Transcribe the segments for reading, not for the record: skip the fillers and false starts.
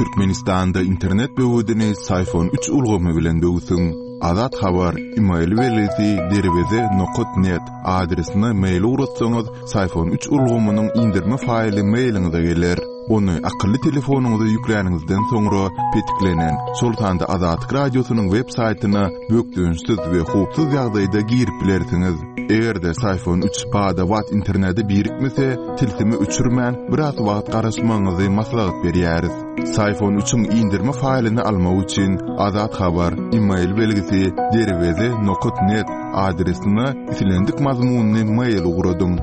Türkmenistanda internet böwedini Syfon üç ulgamy bilen böwsüň. Azat Habar, email belgisi derweze nokat net adresine mail ugratsaňyz, Syfon üç ulgamynyň indirme faýly mailiňize geler. Ony akylly telefonyňyza ýükläniňizden soňra petiklenen, şol sanda Azatlyk Radiosynyň web saýtyna bökdençsiz we howpsuz ýagdaýda girip bilersiňiz. Eger-de Syfon üç bada-bat internete birikmese, tilsimi öçürmän, biraz wagt garaşmagyňyzy maslahat berýäris. Syfon üçiň indirme faýlyny almak üçin Azat Habar, email belgisi derweze nokat net adresine islendik mazmunly mail ugradyň.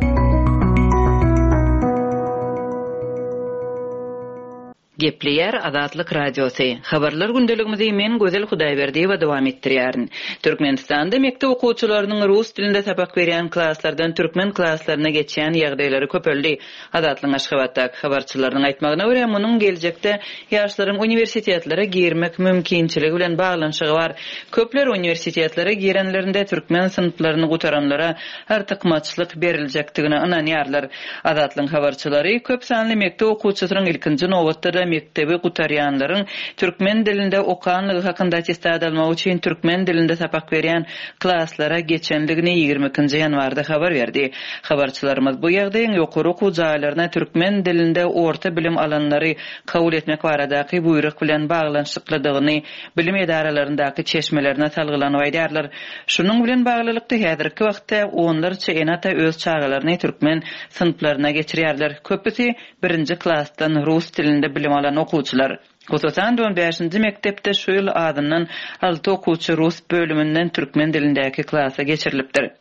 Gepleýär Azatlyk Radiosy. Habarlar gündeligimizi men Gözel Hudaýberdiýewa dowam etdirýärin. Türkmenistanda mekdep okuwçylarynyň rus dilinde sapak berýän klaslardan türkmen klaslaryna geçýän ýagdaýlary köpeldi. Azatlygyň Aşgabatdaky habarçylarynyň aýtmagyna görä, munuň geljekde ýaşlaryň uniwersitetlere girmek mümkinçiligi bilen baglanyşygy bar. Köpler uniwersitetlere girenlerinde türkmen synplaryny gutaranlara artykmaçlyk beriljekdigine ynanýarlar. Azatlygyň habarçylary köp sanly mekdep okuwçysynyň ilkinji nobatda-da mekdebi gutarýanlaryň türkmen dilinde okanlygy hakynda attestat almak üçin türkmen dilinde sapak berýän klaslara geçendigini 22-nji ýanwarda habar berdi. Habarçylarymyz bu ýagdaýyň ýokary okuw jaýlaryna türkmen dilinde orta bilim alanlary kabul etmek baradaky buýruk bilen baglanyşyklydygyny bilim edaralaryndaky çeşmelerine salgylanyp aýdýarlar. Şunuň bilen baglylykda, häzirki wagtda onlarça ene-ata öz çagalaryny türkmen synplaryna geçirýärler. Köpüsi birinji klasdan rus dilinde bilim alan okuwçylar. Hususan-da, on bäşinji mekdepde şu ýyl azyndan alty okuwçy rus bölüminden türkmen dilindäki klasa geçirilipdir.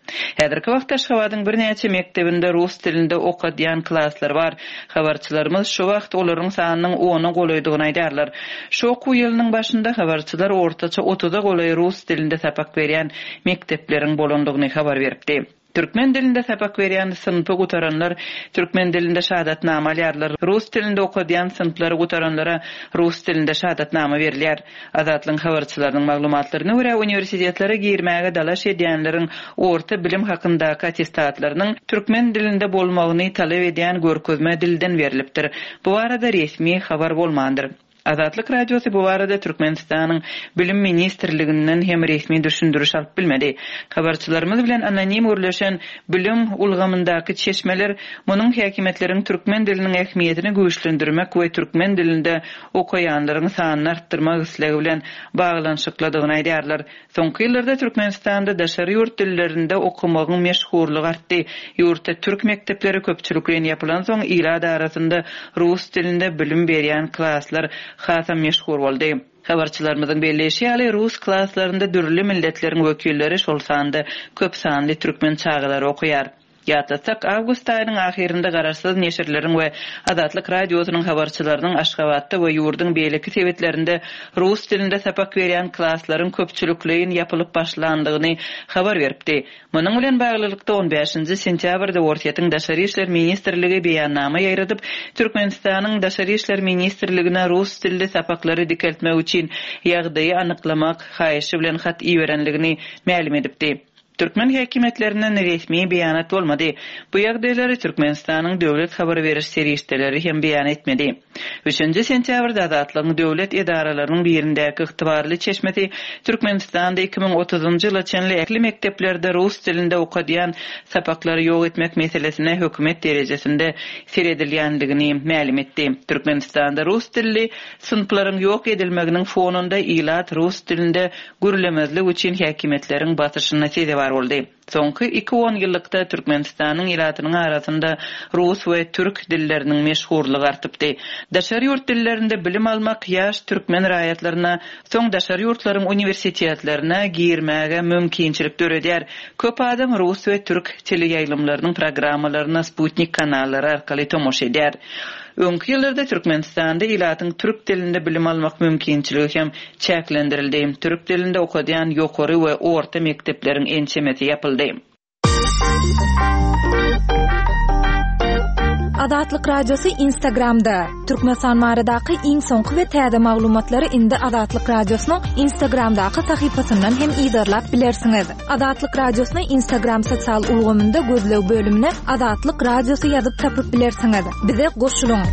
Häzirki wagtda Aşgabadyň birnäçe mekdebinde rus dilinde okadýan klaslar bar. Habarçylarymyz şu wagt olaryň sanynyň ona golaýdygyny aýdýarlar. Şu okuw ýylynyň başynda habarçylar ortaça otuza golaý rus dilinde sapak berýän mekdepleriň bolandygyny habar beripdi. Türkmen dilinde sapak berýän synpy gutaranlar türkmen dilinde şahadatnama alýarlar, rus dilinde okadýan synplary gutaranlara rus dilinde şahadatnama berilýär. Azatlygyň habarçylarynyň maglumatlaryna görä, uniwersitetlere girmäge dalaş edýänleriň orta bilim hakyndaky attestatlarynyň türkmen dilinde bolmagyny talap edýän görkezme dilden berlipdir. Bu barada resmi habar bolmandyr. Azatlyk Radiosy bu barada Türkmenistanyň Bilim ministrliginden hem resmi düşündiriş alyp bilmedi. Habarçylarymyz bilen anonim gürleşen bilim ulgamyndaky çeşmeler munuň häkimiýetleriň türkmen diliniň ähmiýetini güýçlendirmek we türkmen dilinde okaýanlaryň sanyny artdyrmak islegi bilen baglanyşyklydygyny aýdýarlar. Soňky ýyllarda Türkmenistanda daşary ýurt dillerinde okamagyň meşhurlygy artdy. Ýurtda türk mekdepleri köpçülikleýin ýapylansoň, ilat arasynda rus dilinde bilim berýän klaslar hasam meşhur boldy. Habarçylarymyzyň belleýşi ýaly, rus klaslarynda dürli milletleriň wekilleri, şol sanda köp sanly türkmen çagalary okaýar. Ýatlatsak, awgust aýynyň ahyrynda garaşsyz neşirleriň we Azatlyk Radiosynyň habarçylarynyň Aşgabatda we ýurduň beýleki sebitlerinde rus dilinde sapak berýän klaslaryň köpçülikleýin ýapylyp başlandygyny habar beripdi. Munuň bilen baglylykda, on bäşinji sentýabrda Orsýetiň Daşary işler ministrligi beýannama ýaýradyp, Türkmenistanyň Daşary işler ministrligine rus dilli sapaklary dikeltmek üçin ýagdaýy anyklamak haýyşy bilen hat iberenligini mälim edipdi. Türkmen häkimiýetlerinden resmi beýanat bolmady. Bu ýagdaýlary Türkmenistanyň döwlet habar beriş serişdeleri hem beýan etmedi. Üçünji sentýabrda Azatlygyň döwlet edaralarynyň birindäki ygtybarly çeşmesi Türkmenistanda 2030-njy ýyla çenli ähli mekdeplerde rus dilinde okadýan sapaklary ýok etmek meselesine hökümet derejesinde seredilýändigini mälim etdi. Türkmenistanda rus dilli synplaryň ýok edilmeginiň fonunda ilat rus dilinde gürlemezlik üçin häkimiýetleriň basyşyna sezewar boldy. Soňky iki onýyllykda Türkmenistanyň ilatynyň arasynda rus we türk dilleriniň meşhurlygy artypdy. Daşary ýurt dillerinde bilim almak ýaş türkmen raýatlaryna soň daşary ýurtlaryň uniwersitetlerine girmäge mümkinçilik döredýär. Köp adam rus we türk teleýaýlymlarynyň programmalaryna sputnik kanallary arkaly tomaşa edýär. Öňki ýyllarda Türkmenistanda ilatyň türk dilinde bilim almak mümkinçiligi hem çäklendirildi. Türk dilinde okadýan ýokary we orta mekdepleriň ençemesi ýapyldy. Azatlyk Radiosy Instagramda, Türkmenistan baradaky iň soňky we täze maglumatlary indi Azatlyk Radiosynyň Instagramdaky sahypasyndan hem yzarlap bilersiňiz. Azatlyk Radiosyny Instagram sosial ulgamynda gözleg bölümine Azatlyk Radiosy ýazyp tapyp bilersiňiz. Bize goşulyň!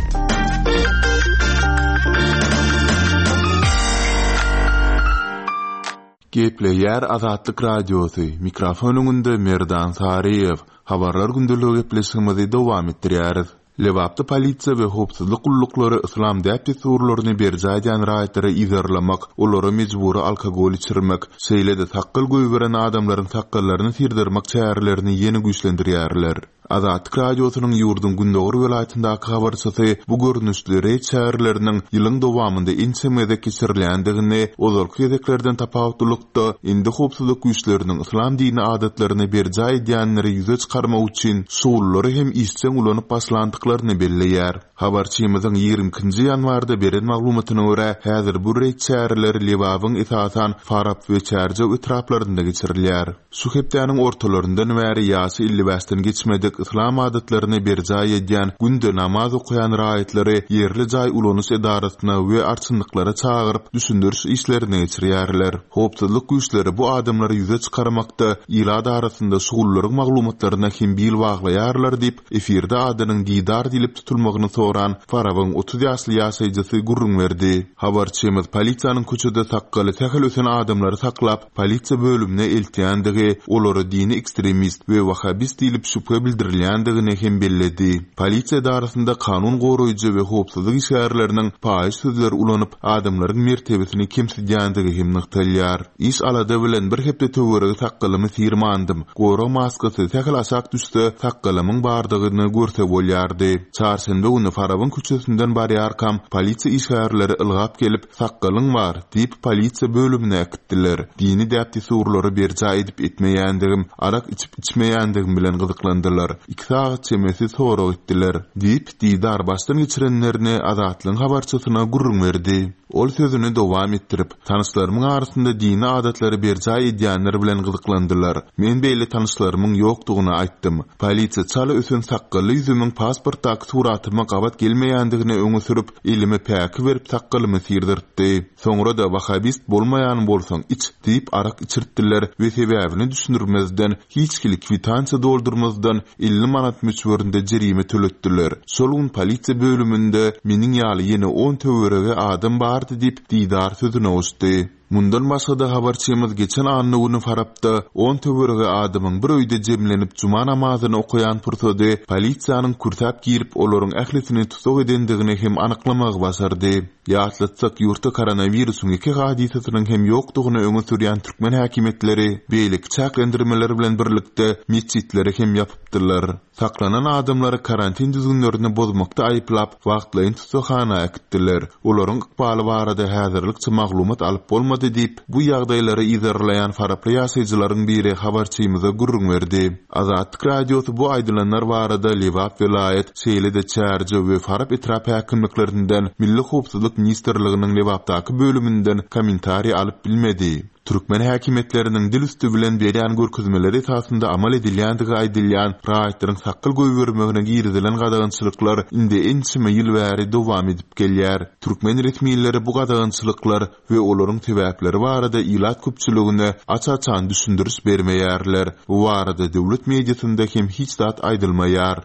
Gepleýär Azatlyk Radiosy, mikrofon öňünde Merdan Saryýew. Habarlar gündeligi gepleşigimizi dowam etdirýäris. Lebapda polisiýa we howpsuzlyk gulluklary yslam däp-dessurlaryny berjaý edýän raýatlary yzarlamak, olara mejbury alkogol içirmek, şeýle-de sakgal goýberen adamlaryň sakgallaryny syrdyrmak çärelerini ýene güýçlendirýärler. Azatlyk Radiosynyň ýurduň gündogar welaýatyndaky habarçysy bu görnüşli reýd çäreleriniň ýylyň dowamynda ençeme gezek geçirilýändigini, ozalky gezeklerden tapawutlylykda, indi howpsuzlyk güýçleriniň yslam dini adatlaryny berjaý edýänleri ýüze çykarmak üçin şugulylary hem işjeň ulanyp başlandyklaryny belleýär. Habarçymyzyň 22 nji ýanwarda beren maglumatyna görä, häzir bu reýd çäreleri Lebabyň esasan Farap we Çärjew etraplarynda geçirilýär. Şu hepdäniň ortalaryndan bäri ýaşy 55-den geçmedik, yslam adatlaryny berjaý edýän, günde namaz okaýan raýatlary ýerli jaý ulanyş edarasyna we arçynlyklara çagyryp, düşündiriş işlerini geçirýärler. Howpsuzlyk güýçleri bu adamlary ýüze çykarmakda ilat arasynda şugullaryň maglumatlaryna hem bil baglaýarlar diýip, efirde adynyň Didar diýlip tutulmagyny soran Farabyň 30 ýaşly ýaşaýjysy gürrüň berdi. Habarçymyz polisiýanyň köçede sakgaly sähel ösen adamlary saklap, polisiýa bölümine eltýändigi, olara dini ekstremist we wahhabist diýlip şübhe bildirilýändigini hem belledi. Polisiýa edarasynda kanun goraýjy we howpsuzlyk işgärleriniň paýyş sözleri ulanyp, adamlaryň mertebesini kemsidýändigi hem nygtalýar. Iş-alada bilen bir hepde töweregi sakgalymy syrmandym. Gorag maskasy sähel aşak düşse, sakgalymyň bardygyny görse bolýardy. Çarşenbe güni Farabyň köçesinden barýarkam, polisiýa işgärleri ylgap gelip, Sakgalyň bar, diýip, polisiýa bölümine äkitdiler. Dini däp-dessurlary berjaý edip-etmeýändigim, arak içip-içmeýändigim bilen gyzyklandylar. Iki sagat çemesi sorag etdiler. Diýip, Didar başdan geçirenlerini Azatlygyň habarçysyna gürrüň berdi. Ol sözüni dowam etdirip, Tanyşlarymyň arasynda dini adatlary berjaý edýänler bilen gyzyklandylar. Men beýle tanyşlarymyň ýokdugyny aýtdym. Polisiýa çala ösen sakgally ýüzümiň pasportdaky suratyma gabat gelmeýändigini öňe sürüp, Elime päki berip sakgalymy syrdyrtdy. Soňra-da Wahabist bolmaýan bolsaň iç diýip arak içirtdiler we sebäbini düşündirmezden, hiç hili kwitansiýa doldurmazdan 50 manat möçberinde jerime töletdiler. Şol gün polisiýa bölüminde meniň ýaly ýene on töweregi adam bardy diýip, Didar sözüne goşdy. Mundan başga-da habarçymyz geçen anna güni Farapda on töweregi adamyň bir öýde jemlenip juma namazyny okaýan pursady polisiýanyň kürsäp girip olaryň ählisini tussag edendigini hem anyklamagy başardy. Ýatlatsak, ýurtda koronawirusyň ýeke hadysasynyň hem ýokdugyny öňe sürýän türkmen häkimiýetleri beýleki çäklendirmeler bilen birlikde metjitleri hem ýapypdylar. Saklanan adamlary karantin düzgünlerini bozmakda aýyplap, wagtlaýyn tussaghana äkitdiler. Olaryň ykbaly barada häzirlikçe maglumat alyp bolmady diýip, bu ýagdaýlary yzarlaýan faraply ýaşaýjylaryň biri habarçymyza gürrüň berdi. Azatlyk Radiosy bu aýdylanlar barada Lebap welaýat, şeýle-de Çärjew we Farap etrap häkimliklerinden, Milli howpsuzlyk ministrliginiň Lebapdaky bölüminden kommentariý alyp bilmedi. Türkmen häkimiýetleriniň dil üsti bilen berýän görkezmeleri esasynda amal edilýändigi aýdylýan raýatlaryň sakgal goýbermegine girizilen gadagançylyklar indi ençeme ýyl bäri dowam edip gelýär. Türkmen resmileri bu gadagançylyklar we olaryň sebäpleri barada ilat köpçüligine aç-açan düşündiriş bermeýärler. Bu barada döwlet mediasynda hem hiç zat aýdylmaýar.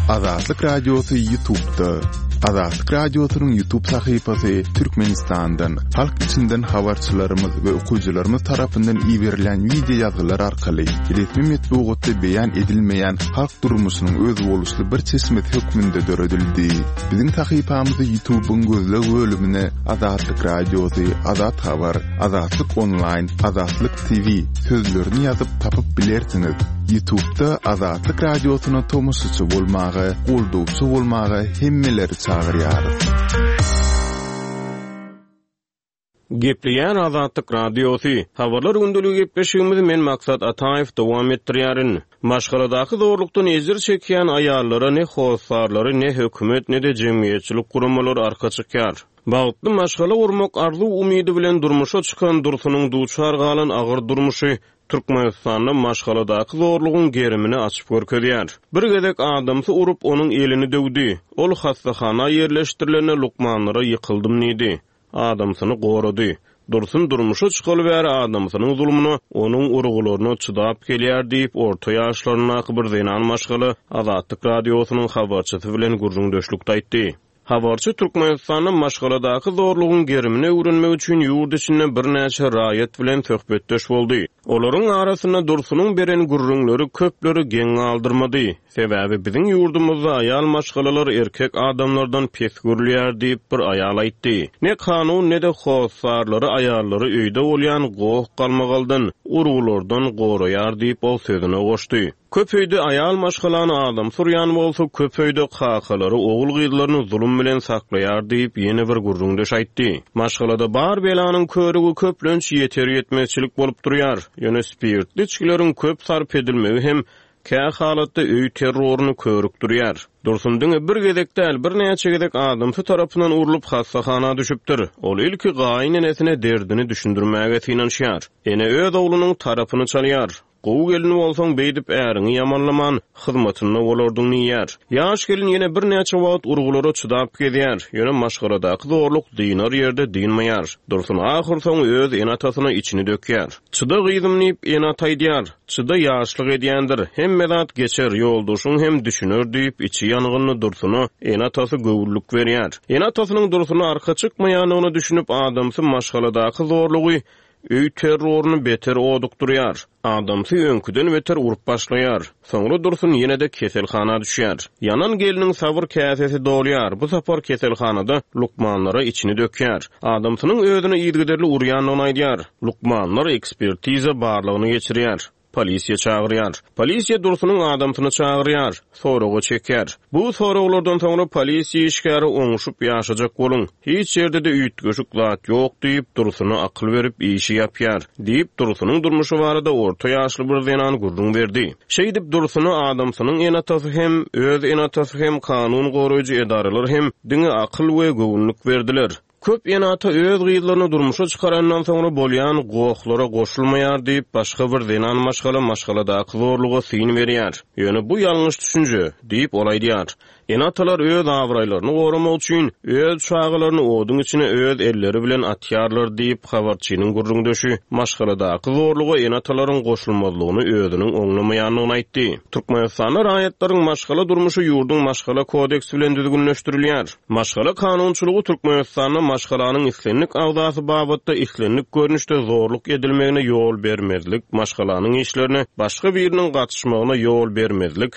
Azatlyk Radiosy YouTube'da. Azatlyk Radiosynyň YouTube sahypasy Türkmenistandan, halk içinden habarçylarymyz we okyjylarymyz tarapyndan iberilen wideo ýazgylar arkaly resmi metbugatda beýan edilmeýän halk durmuşynyň özboluşly bir çeşmesi hökmünde döredildi. Biziň sahypamyzy YouTube'yň gözleg bölümine Azatlyk Radiosy, Azat Habar, Azatlyk Onlaýn, Azatlyk TV sözlerini ýazyp tapyp bilersiňiz. Ýutubda Azatlyk Radiosyna tomaşaçy bolmaga, goldawçy bolmaga hemmeleri çagyrýarys. Gepleýär Azatlyk Radiosy. Habarlar gündeligi gepleşigimizi men Maksat Ataýew dowam etdirýärin. Maşgaladaky zorlukdan ejir çekýän aýallara ne hossarlary, ne hökümet, ne-de jemgyýetçilik guramalary arka çykýar. Bagtly maşgala gurmak arzuw-umydy bilen durmuşa çykan Dursunyň duçar galan agyr durmuşy Türkmenistanda maşgaladaky zorlugyň gerimini açyp görkezýär. Bir gezek adamsy urup, onuň elini döwdi. Ol hassahana ýerleşdirilende lukmanlara ýykyldym diýdi. Adamsyny gorady. Dursun durmuşa çykaly bäri adamsynyň zulmuna, onuň urgularyna çydap gelýär diýip, orta ýaşlaryndaky bir zenan maşgala Azatlyk Radiosynyň habarçysy bilen gürrüňdeşlikde aýtdy. Habarçy Türkmenistanda maşgaladaky zorlugyň gerimini öwrenmek üçin ýurt içinde birnäçe raýat bilen söhbetdeş boldy. Olaryň arasynda Dursunyň beren gürrüňleri köpleri geň galdyrmady. Sebäbi biziň ýurdumyzda aýal maşgalalar erkek adamlardan pes görülýär diýip, bir aýal aýtdy. Ne kanun, ne-de hossarlary aýallary öýde bolýan goh-galmagaldan, urgulardan goraýar diýip, ol sözüne goşdy. Köp öýde aýal maşgalany adamsy urýan bolsa, köp öýde kakalary ogul-gyzlaryny zulum bilen saklaýar diýip, ýene bir gürrüňdeş aýtdy. Maşgalada bar belanyň körügi köplenç ýeter-ýetmezçilik bolup durýar. Ýöne spirtli içgileriň köp sarp edilmegi hem kä halatda öý terroryny körükdirýär. Dursun diňe bir gezek däl, birnäçe gezek adamsy tarapyndan urlup hassahana düşüpdir. Ol ilki gaýyn enesine derdini düşündirmäge synanyşýar. Ene öz oglunyň tarapyny çalýar. Gowy gelin bolsaň, beýdip äriňi ýamanlaman, hyzmatynda bolardyň diýýär. Ýaş gelin ýene birnäçe wagt urgulara çydap gezýär, ýöne maşgaladaky zorluk dynar ýerde dynmaýar. Dursun ahyrsoňy öz ene-atasyna içini dökýär. Çyda gyzym diýip, ene-ata aýdýar. Çyda ýaşlyk edýändir. Hemme zat geçer, ýoldaşyň hem düşüner diýip, içi ýangynly Dursuna ene-atasy göwünlik berýär. Ene-atasynyň Dursuna arka çykmaýandygyna düşünip, adamsy maşgaladaky zorlugy Öý terroryny beter odukdyrýar. Adamsy öňküden beter urup başlaýar. Soňra Dursun ýene-de keselhana düşýär. Ýanan gelniň sabyr käsesi dolýar. Bu sapar keselhanada lukmanlara içini dökýär. Adamsynyň özüni yzygiderli urýandygyny aýdýar. Lukmanlar ekspertiza barlagyny geçirýär. Polisiýa çagyrýar. Polisiýa Dursunyň adamsyny çagyrýar. Soraga çekýär. Bu soraglardan soňra polisiýa işgäri oňuşyp ýaşajak boluň. Hiç ýerde-de üýtgeşik zat ýok diýip, Dursuna akyl berip işi ýapýar. Diýip, Dursunyň durmuşy barada orta ýaşly bir zenan gürrüň berdi. Şeýdip, Dursuna adamsynyň ene-atasy hem, öz ene-atasy hem, kanun goraýjy edaralar hem diňe akyl we göwünlik berdiler. Köp ene-ata öz gyzlaryny durmuşa çykarandan soňra bolýan gohlara goşulmaýar diýip, başga bir zenan maşgala maşgaladaky zorluga syn berýär. Ýöne bu ýalňyş düşünje, diýip, ol aýdýar. Ene-atalar öz abraýlaryny goramak üçin, öz çagalaryny oduň içine öz elleri bilen atýarlar diýip, habarçynyň gürrüňdeşi maşgaladaky zorluga ene-atalaryň goşulmazlygyny özüniň oňlamaýandygyny aýtdy. Türkmenistanda raýatlaryň maşgala durmuşy ýurduň Maşgala kodeksi bilen düzgünleşdirilýär. Maşgala kanunçylygy Türkmenistanda maşgalanyň islendik agzasy babatda islendik görnüşde zorluk edilmegine ýol bermezlik, maşgalanyň işlerine başga biriniň gatyşmagyna ýol bermezlik,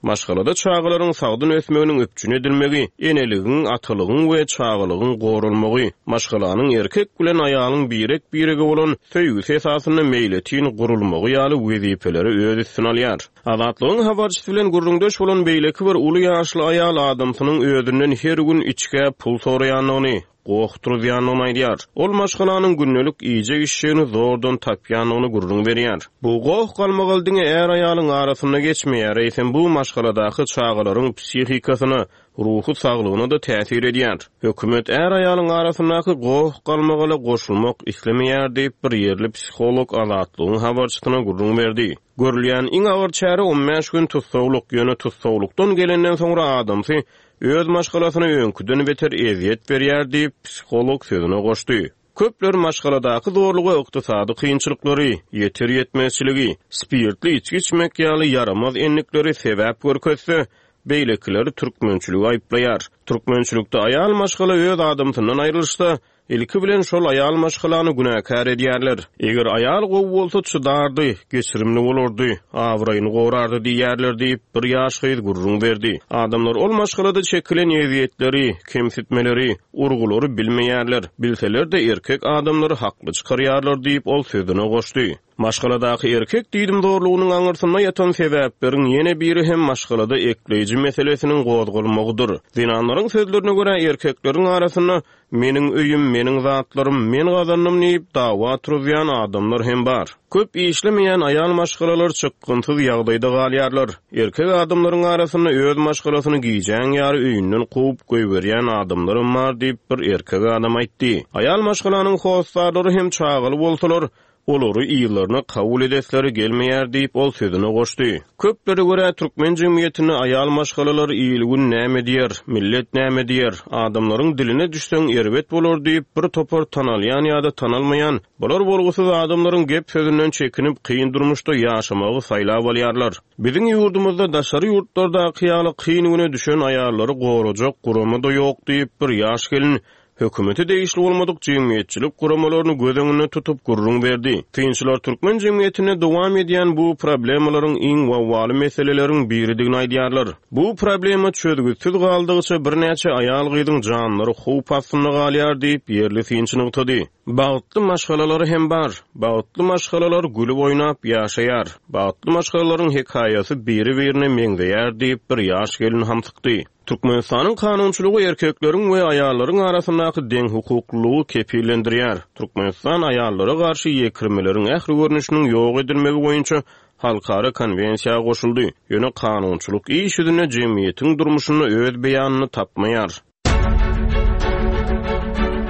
maşgalada çagalaryň sagdyn ösmeginiň üpjün edilmegi, eneligiň, atalygyň we çagalygyň goralmagy, maşgalanyň erkek bilen aýalyň birek-birege bolan söýgüsi esasynda meýletin gurulmagy ýaly wezipeleri öz üstüne alýar. Azatlygyň habarçysy bilen gürrüňdeş bolan beýleki bir uly ýaşly aýal adamsynyň özünden her gün içgä pul soraýandygyny, goh turuzýandygyny aýdýar. Ol maşgalanyň gündelik iýjek-içjegini zordan tapýandygyny gürrüň berýär. Bu goh-galmagal diňe är-aýalyň arasynda geçmeýär, eýsem bu maşgaladaky çagalaryň psihikasyna, ruhy saglygyna-da täsir edýär. Hökümet är-aýalyň arasyndaky goh-galmagala goşulmak islemeýär diýip, bir ýerli psiholog Azatlygyň habarçysyna gürrüň berdi. Görülýän iň agyr çäre on bäş gün tussaglyk, ýöne tussaglykdan gelenden soňra adamsy öz maşgalasyna öňküden beter ezýet berýär diýip, psiholog sözüne goşdy. Köpler maşgaladaky zorluga ykdysady kynçylyklary, ýeter-ýetmezçiligi, spirtli içgi içmek ýaly ýaramaz endikleri sebäp görkezse, beýlekileri türkmençiligi aýyplaýar. Türkmençilikde aýal maşgala öz adamsyndan aýrylyşsa, Ilki bilen şol aýal maşgalany günäkär edýärler. Eger aýal gowy bolsa çydardy, geçirimli bolardy, abraýyny gorardy diýýärler diýip, bir ýaş gyz gürrüň berdi. Adamlar ol maşgalada çekilen ezýetleri, kemsitmeleri, urgulary bilmeýärler, bilseler-de erkek adamlary hakly çykarýarlar diýip, ol sözüne goşdy. Maşgaladaky erkek diýdimzorlugynyň aňyrsynda ýatan sebäpleriň ýene biri hem maşgalada ekleýji meselesiniň gozgalmagydyr. Zenanlaryň sözlerine görä, erkekleriň arasynda Meniň öýüm, meniň zatlarym, men gazandym diýip, dawa turuzýan adamlar hem bar. Köp işlemeýän aýal maşgalalar çykgynsyz ýagdaýda galýarlar. Erkek adamlaryň arasynda öz maşgalasyny gijäň ýary öýünden kowup goýberýän adamlaram bar diýip, bir erkek adam aýtdy. Aýal maşgalanyň hossarlary hem çagaly bolsalar,. Olary yzlaryna kabul edesleri gelmeýär diýip, ol sözüne goşdy. Köplere görä, türkmen jemgyýetinde aýal maşgalalar il-gün näme diýer, millet näme diýer, adamlaryň diline düşseň erbet bolar diýip, bir topar tanalýan ýa-da tanalmaýan, bolar-bolgusyz adamlaryň gep-sözünden çekinip, kyn durmuşda ýaşamagy saýlap alýarlar. Biziň ýurdumyzda daşary ýurtlardaky ýaly kyn güne düşen aýallary gorajak gurama-da ýok diýip, bir ýaş gelin hökümete degişli bolmadyk jemgyýetçilik guramalaryny göz öňünde tutup gürrüň berdi. Synçylar türkmen jemgyýetinde dowam edýän bu problemalaryň iň wawwaly meseleleriň biridigini aýdýarlar. Bu problema çözgütsiz galdygyça birnäçe aýal-gyzyň janlary howp astynda galýar diýip, ýerli synçy nygtady. Bagtly maşgalalar hem bar. Bagtly maşgalalar gülüp-oýnap ýaşaýar. Bagtly maşgalalaryň hekaýasy biri-birine meňzeýär diýip, bir ýaş gelin hamsykdy. Türkmenistanyň kanunçylygy erkekleriň we aýallaryň arasyndaky deňhukuklylygy kepillendirýär. Türkmenistan aýallara garşy ýekirmeleriň ähli görnüşiniň ýok edilmegi boýunça halkara konwensiýa goşuldy, ýöne kanunçylyk iş ýüzünde jemgyýetiň durmuşynda öz beýanyny tapmaýar.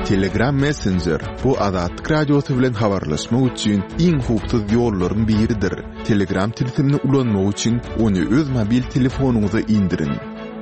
Telegram Messenger, bu Azatlyk Radiosy bilen habarlaşmak üçin iň howpsuz ýollaryň biridir. Telegram tilsimini ulanmak üçin ony öz mobil telefonyňyza indiriň.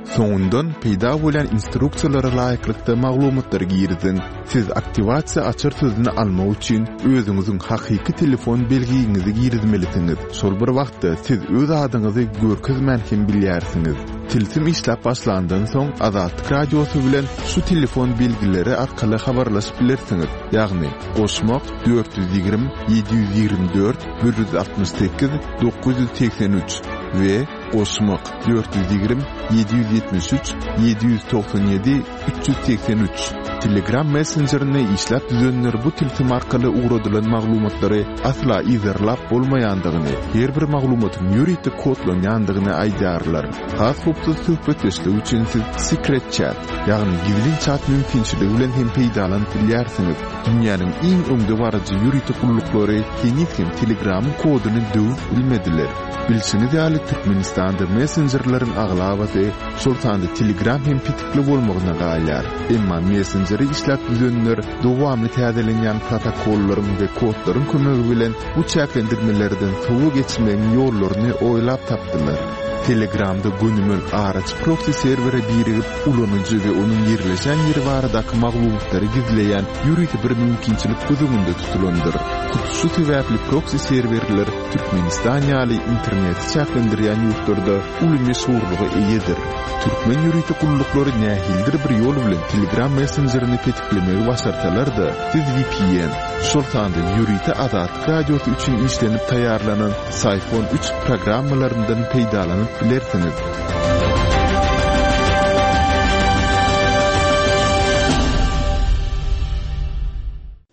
Soňundan peýda bolýan instruksiýalara laýyklykda maglumatlary giriziň. Siz aktiwasiýa açar sözüni almak üçin özüňiziň hakyky telefon belgiňizi girizmelisiňiz. Şol bir wagtda siz öz adyňyzy görkezmän hem bilýärsiňiz. Tilsim işläp başlandan soň Azatlyk Radiosy bilen şu telefon belgileri arkaly habarlaşyp bilersiňiz, ýagny, goşmak, 420 724 168 983 we goşmak, 420 773 797 383. Telegram messenjerini işläp düzenler bu tilsim arkaly ugradylan maglumatlary asla yzarlap bolmaýandygyny, her bir maglumatyň ýörite kodlanýandygyny aýdýarlar. Has howpsuz söhbetdeşlik üçin siz Secret Chat, ýagny gizlin çat mümkinçiligi bilen hem peýdalanyp bilýärsiňiz. Dünýäniň iň öňdebaryjy ýörite gulluklary heniz hem Telegramyň koduny döwüp bilmediler. Bilşiňiz ýaly, Türkmenistanda messenjerleriň aglabasy, şol sanda Telegram hem petikli bolmagyna galýar. Emma messenjeri işläp düzenler dowamly täzelenýän protokollaryň we kodlaryň kömegi bilen bu çäklendirmelerden sowa geçmegiň ýollaryny oýlap tapdylar. Telegramda gönümel araçy proksi serwere birigip, ulanyjy we onuň ýerleşen ýeri baradaky maglumatlary gizleýän ýörite bir mümkinçilik göz öňünde tutulandyr. Hut şu sebäpli proksi serwerler Türkmenistan ýaly interneti çäklendirýän ýurtlarda uly meşhurlyga eýedir. Türkmen ýörite gulluklary nähilidir bir ýol bilen Telegram messenjerini petiklemegi başarsalar-da, siz vpn, şol sanda ýörite Azatlyk Radiosy üçin işlenip taýýarlanan Syphon üç programmalaryndan peýdalanyp bilersiňiz.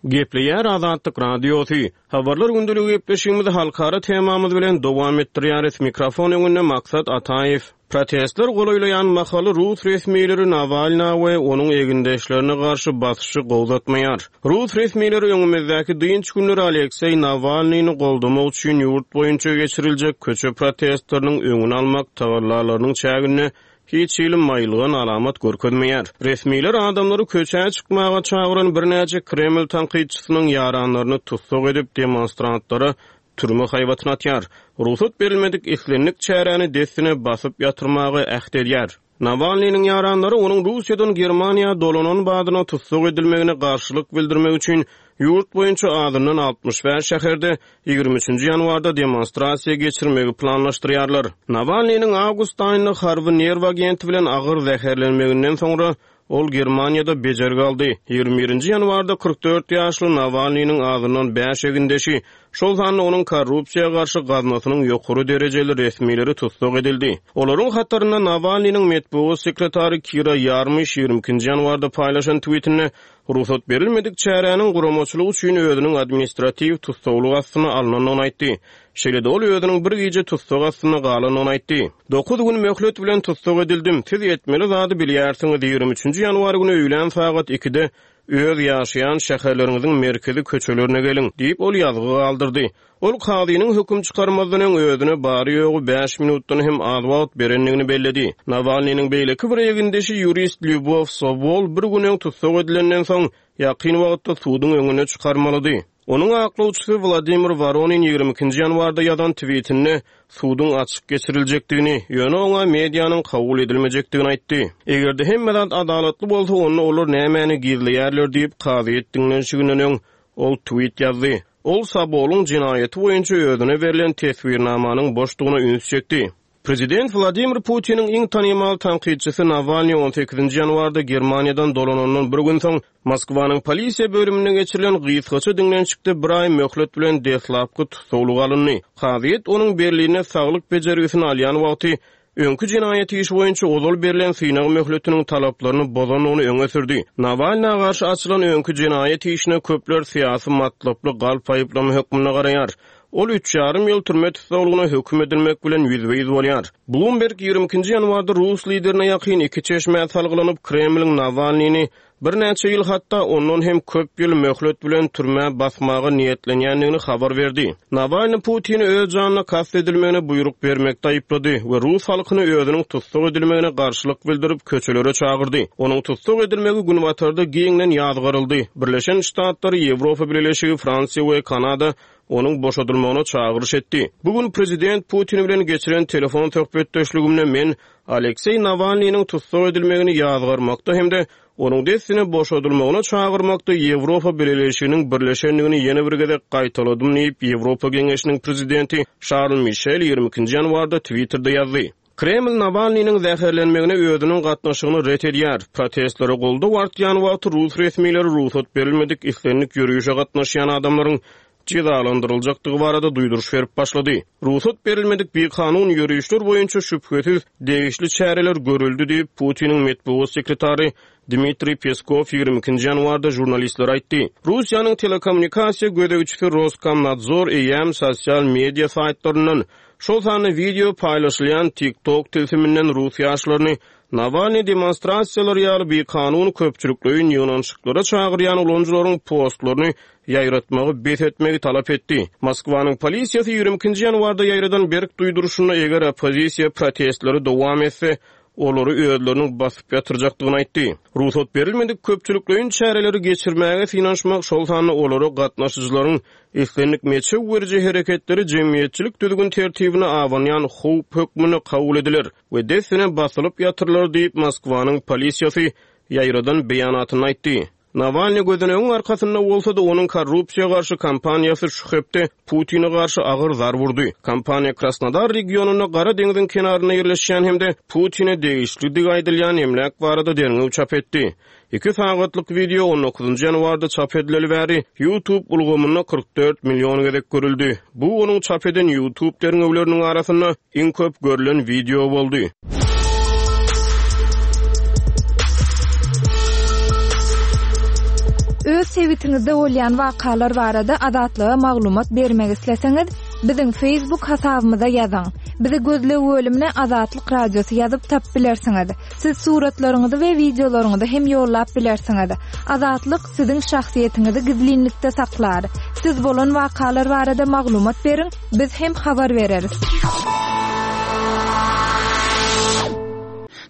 Gepleýär Azatlyk Radiosy. Habarlar gündeligi gepleşigimizi halkara temamyz bilen dowam etdirýäris. Mikrofon öňünde Maksat Ataýew. Protestler golaýlaýan mahaly rus resmileri Nawalna we onuň egindeşlerine garşy basyşy gowzatmaýar. Rus resmileri öňümizdäki dynç günleri Alekseý Nawalnyny goldamak üçin ýurt boýunça geçiriljek köçe protestleriniň öňüni almak tagallalarynyň çäginde hiç hili maýylgan alamat görkezmeýär. Resmiler adamlary köçä çykmaga çagyran birnäçe Kreml tankytçysynyň ýaranlaryny tussag edip, demonstrantlara türme haýbatyny atýar. Rugsat berilmedik islendik çäräni dessine basyp ýatyrmaga äht edýär. Nawalnynyň ýaranlary onuň Russiýadan Germaniýa dolanan badyna tussag edilmegine garşylyk bildirmek üçin ýurt boýunça azyndan 65 şäherde 23-nji ýanwarda demonstrasiýa geçirmegi planlaşdyrýarlar. Nawalnynyň awgust aýynda harby nerw agenti bilen agyr zäherlenmeginden soňra Ol Germaniýada bejergi aldy. 21-nji ýanwarda 44 ýaşly Nawalnynyň azyndan bäş egindeşi, şol sanda onuň korrupsiýa garşy gaznasynyň ýokary derejeli resmileri tussag edildi. Olaryň hatarynda Nawalnynyň metbugat sekretary Kira Ýarmyş 22-nji ýanwarda paýlaşan twitinde rugsat berilmedik çäräniň guramaçylygy üçin özüniň administratiw tussaglyk astyna alnandygyny aýtdy. Şeýle-de ol özüniň bir gije tussag astynda galandygyny aýtdy. Dokuz gün möhlet bilen tussag edildim. Siz etmeli zady bilýärsiňiz, 23-nji ýanwar güni öýlän sagat ikide öz ýaşaýan şäherleriňiziň merkezi köçelerine geliň, diýip, ol ýazgy galdyrdy. Ol kazynyň höküm çykarmazdan öň özüne bary-ýogy bäş minutdan hem az wagt berendigini belledi. Nawalnynyň beýleki bir egindeşi ýurist Lýubow Sobol bir gün öň tussag edilenden soň, ýakyn wagtda suduň öňüne çykarmalydy. Onuň aklawçysy Wladimir Woronin 22-nji ýanwarda ýazan twitinde suduň açyk geçiriljekdigini, ýöne oňa medianyň kabul edilmejekdigini aýtdy. Eger-de hemme zat adalatly bolsa, onda olar nämäni gizleýärler diýip, kazyýet diňlenişiginden öň ol twit ýazdy. Ol Sobolyň jenaýaty boýunça özüne berlen teswirnamanyň boşdugyna üns çekdi. Prezident Wladimir Putiniň iň tanymal tankytçysy Nawalnyý on sekizinji ýanwarda Germaniýadan dolanandan bir gün soň, Moskwanyň polisiýa bölüminde geçirilen gysgaça diňlenişikde bir aý möhlet bilen deslapky tussaglyga alyndy. Kazyýet onuň Berlinde saglyk bejergisini alýan wagty öňki jenaýat işi boýunça ozal berlen synag möhletiniň talaplaryny bozandygyny öňe sürdi. Nawalna garşy açylan öňki jenaýat işine köpler syýasy matlaply galp aýyplama hökmünde garaýar. Ol üç ýarym ýyl türme tussaglygyna höküm edilmek bilen ýüzbe-ýüz bolýar. Bloomberg 22-nji ýanwarda rus liderine ýakyn iki çeşmä salgylanyp, Kremliň Nawalnyny birnäçe ýyl, hatda ondan hem köp ýyl möhlet bilen türmä basmaga niýetlenýändigini habar berdi. Nawalny Putini öz janyna kast edilmegine buýruk bermekde aýyplady we rus halkyny özüniň tussag edilmegine garşylyk bildirip, köçelere çagyrdy. Onuň tussag edilmegi Günbatarda giňden ýazgaryldy. Birleşen Ştatlar, Ýewropa Bileleşigi, Fransiýa we Kanada onuň boşadylmagyna çagyryş etdi. Bu gün prezident Putin bilen geçiren telefon söhbetdeşligimde men Alekseý Nawalnynyň tussag edilmegini ýazgarmakda hem-de onuň dessine boşadylmagyna çagyrmakda Ýewropa Bileleşiginiň birleşendigini ýene bir gezek gaýtaladym diýip, Ýewropa Geňeşiniň prezidenti Şarl Mişel 22-nji ýanwarda Twitterde ýazdy. Kreml Nawalnynyň zäherlenmegine özüniň gatnaşygyny ret edýär. Protestlere goldaw artýan wagty rus resmileri rugsat berilmedik islendik ýörişe gatnaşýan adamlaryň jezalandyryljakdygy barada duýduryş berip başlady. Rugsat berilmedik bikanun ýörişler boýunça şübhesiz degişli çäreler görüldi diýip, Putiniň metbugat sekretary Dmitriý Peskow 22-nji ýanwarda žurnalistlere aýtdy. Russiýanyň telekommunikasiýa gözegçisi Roskomnadzor eýýäm sosial media saýtlaryndan, şol sanda wideo paýlaşylýan TikTok tilsiminden rus ýaşlaryny Nawalnyý demonstrasiýalary ýaly bikanun köpçülikleýin ýygnanyşyklara çagyrýan ulanyjylaryň postlaryny ýaýratmagy bes etmegi talap etdi. Moskwanyň polisiýasy 22-nji ýanwarda ýaýradan berk duýduryşynda eger oppozisiýa protestleri dowam etse, olary özleriniň basyp ýatyrjakdygyny aýtdy. Rugsat berilmedik köpçülikleýin çäreleri geçirmäge synanyşmak, şol sanda olara gatnaşyjylaryň islendik meçew beriji hereketleri jemgyýetçilik düzgün-tertibine abanýan howp hökmünde kabul ediler we dessine basylyp ýatyrylar diýip, Moskwanyň polisiýasy ýaýradan beýanatynda aýtdy. Nawalnyý gözenegiň arkasynda bolsa-da, onuň korrupsiýa garşy kampaniýasy şu hepde Putine garşy agyr zarb urdy. Kampaniýa Krasnodar regionynda Gara deňziň kenarynda ýerleşýän hem-de Putine degişlidigi aýdylýan emläk barada derňew çap etdi. Iki sagatlyk wideo on dokuzynjy ýanwarda çap edileli bäri YouTube ulgamynda 44 million gezek görüldi. Bu onuň çap eden YouTube derňewleriniň arasynda iň köp görlen wideo boldy. Öz sebitiňizde bolýan wakalar barada Azatlyga maglumat bermek isleseňiz, biziň Facebook hasabymyza ýazyň. Bizi gözleg bölümine Azatlyk Radiosy ýazyp tapyp bilersiňiz. Siz suratlaryňyzy we wideolaryňyzy hem ýollap bilersiňiz. Azatlyk siziň şahsyýetiňizi gizlinlikde saklar. Siz bolan wakalar barada maglumat beriň, biz hem habar bereris.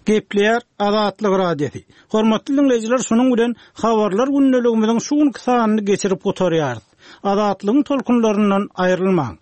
Gepleýär Azatlyk Radiosy. Hormatly diňleýjiler şunuň bilen Habarlar gündeligimiziň şu günki sanyny geçirip gutarýarys. Azatlygyň tolkunlaryndan aýrylmaň.